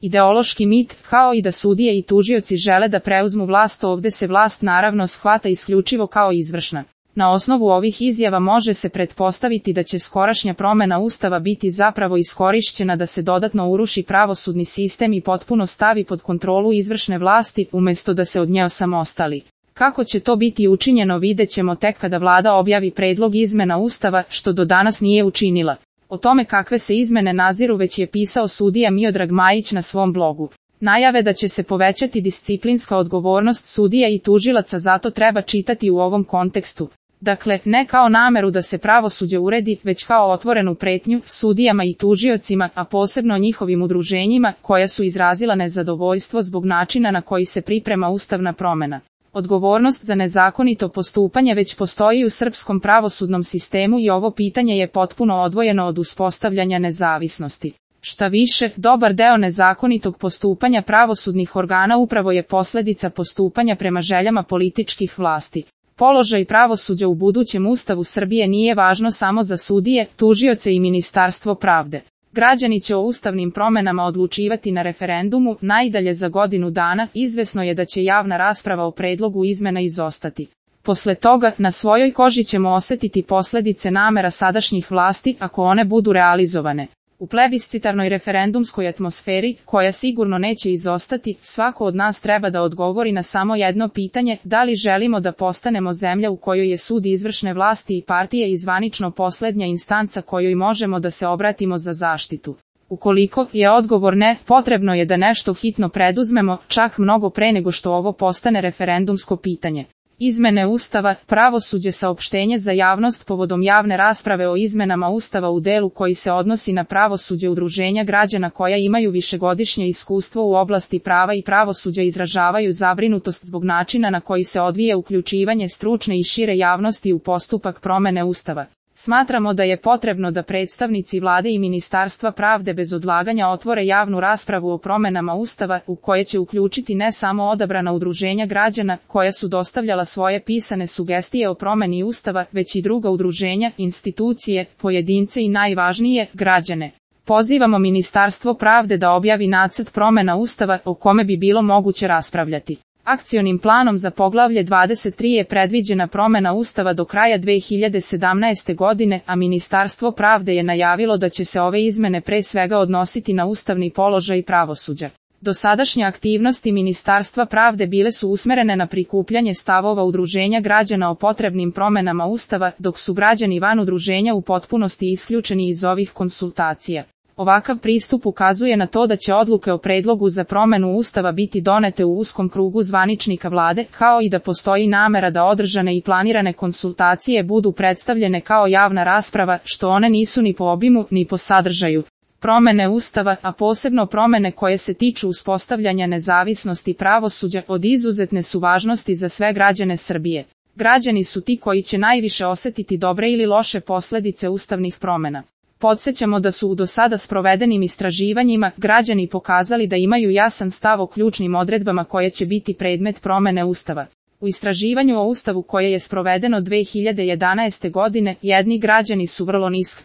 ideološki mit, kao i da sudije i tužioci žele da preuzmu vlast. Ovde se vlast naravno shvata isključivo kao izvršna. Na osnovu ovih izjava može se pretpostaviti da će skorašnja promena Ustava biti zapravo iskorišćena da se dodatno uruši pravosudni sistem i potpuno stavi pod kontrolu izvršne vlasti, umesto da se od nje osamostali. Kako će to biti učinjeno videćemo tek kada vlada objavi predlog izmena Ustava, što do danas nije učinila. O tome kakve se izmene naziru već je pisao sudija Miodrag Majić na svom blogu. Najave da će se povećati disciplinska odgovornost sudija i tužilaca zato treba čitati u ovom kontekstu. Dakle, ne kao nameru da se pravosuđe uredi, već kao otvorenu pretnju sudijama i tužiocima, a posebno njihovim udruženjima, koja su izrazila nezadovoljstvo zbog načina na koji se priprema ustavna promena. Odgovornost za nezakonito postupanje već postoji u srpskom pravosudnom sistemu i ovo pitanje je potpuno odvojeno od uspostavljanja nezavisnosti. Šta više, dobar deo nezakonitog postupanja pravosudnih organa upravo je posljedica postupanja prema željama političkih vlasti. Položaj pravosuđa u budućem Ustavu Srbije nije važno samo za sudije, tužioce i Ministarstvo pravde. Građani će o ustavnim promenama odlučivati na referendumu, najdalje za godinu dana. Izvesno je da će javna rasprava o predlogu izmena izostati. Posle toga, na svojoj koži ćemo osjetiti posljedice namera sadašnjih vlasti, ako one budu realizovane. U plebiscitarnoj referendumskoj atmosferi, koja sigurno neće izostati, svako od nas treba da odgovori na samo jedno pitanje: da li želimo da postanemo zemlja u kojoj je sud izvršne vlasti i partije i zvanično posljednja instanca kojoj možemo da se obratimo za zaštitu? Ukoliko je odgovor ne, potrebno je da nešto hitno preduzmemo, čak mnogo pre nego što ovo postane referendumsko pitanje. Izmene Ustava, pravosuđe. Saopštenje za javnost povodom javne rasprave o izmenama Ustava u delu koji se odnosi na pravosuđe. Udruženja građana koja imaju višegodišnje iskustvo u oblasti prava i pravosuđa izražavaju zabrinutost zbog načina na koji se odvija uključivanje stručne i šire javnosti u postupak promene Ustava. Smatramo da je potrebno da predstavnici vlade i Ministarstva pravde bez odlaganja otvore javnu raspravu o promenama Ustava, u koje će uključiti ne samo odabrana udruženja građana, koja su dostavljala svoje pisane sugestije o promeni Ustava, već i druga udruženja, institucije, pojedince i najvažnije, građane. Pozivamo Ministarstvo pravde da objavi nacrt promena Ustava, o kome bi bilo moguće raspravljati. Akcionim planom za poglavlje 23 je predviđena promena Ustava do kraja 2017. godine, a Ministarstvo pravde je najavilo da će se ove izmene pre svega odnositi na ustavni položaj pravosuđa. Dosadašnje aktivnosti Ministarstva pravde bile su usmerene na prikupljanje stavova udruženja građana o potrebnim promenama Ustava, dok su građani van udruženja u potpunosti isključeni iz ovih konsultacija. Ovakav pristup ukazuje na to da će odluke o predlogu za promenu Ustava biti donete u uskom krugu zvaničnika vlade, kao i da postoji namera da održane i planirane konsultacije budu predstavljene kao javna rasprava, što one nisu ni po obimu, ni po sadržaju. Promene Ustava, a posebno promene koje se tiču uspostavljanja nezavisnosti pravosuđa, od izuzetne su važnosti za sve građane Srbije. Građani su ti koji će najviše osjetiti dobre ili loše posljedice ustavnih promena. Podsjećamo da su u do sada sprovedenim istraživanjima građani pokazali da imaju jasan stav o ključnim odredbama koje će biti predmet promene Ustava. U istraživanju o Ustavu koje je sprovedeno 2011. godine, jedni građani su vrlo nisko